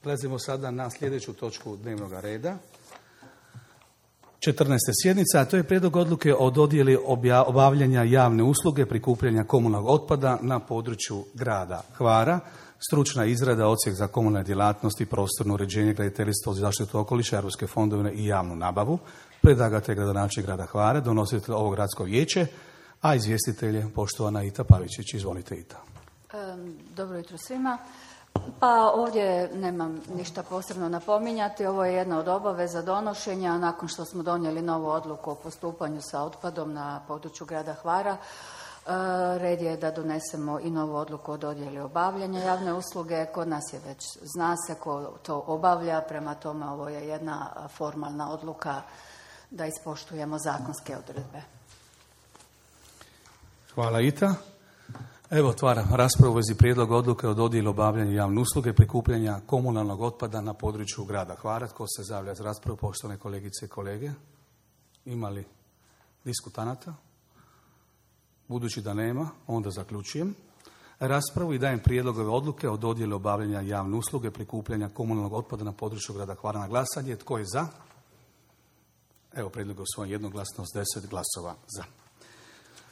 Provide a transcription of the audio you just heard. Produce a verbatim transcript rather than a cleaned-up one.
Prelazimo sada na sljedeću točku dnevnog reda. četrnaesta sjednica, a to je prijedlog odluke o dodjeli obavljanja javne usluge prikupljanja komunalnog otpada na području grada Hvara. Stručna izrada, odsjek za komunalne djelatnosti, prostorno uređenje, graditeljstvo, zaštitu okoliša, europske fondove i javnu nabavu. Predlagatelj gradonačelnik grada Hvara, donositelj ovog gradsko vijeće, a izvjestitelj je poštovana Ita Pavičić. Izvolite, Ita. Dobro jutro svima. Pa ovdje nemam ništa posebno napominjati. Ovo je jedna od obaveza donošenja nakon što smo donijeli novu odluku o postupanju sa otpadom na području grada Hvara. Red je da donesemo i novu odluku o dodjeli obavljanja javne usluge. Kod nas je već, zna se ko to obavlja, prema tome ovo je jedna formalna odluka da ispoštujemo zakonske odredbe. Hvala, Ita. Evo, otvaram raspravu u vezi prijedloga odluke o dodjeli obavljanja javne usluge prikupljanja komunalnog otpada na području grada Hvara. Tko se zavlja za raspravu, poštovane kolegice i kolege? Ima li diskutanata? Budući da nema, onda zaključujem raspravu i dajem prijedlog odluke o dodjeli obavljanja javne usluge prikupljanja komunalnog otpada na području grada Hvara na glasanje. Tko je za? Evo, prijedlog je usvojen jednoglasno s deset glasova za.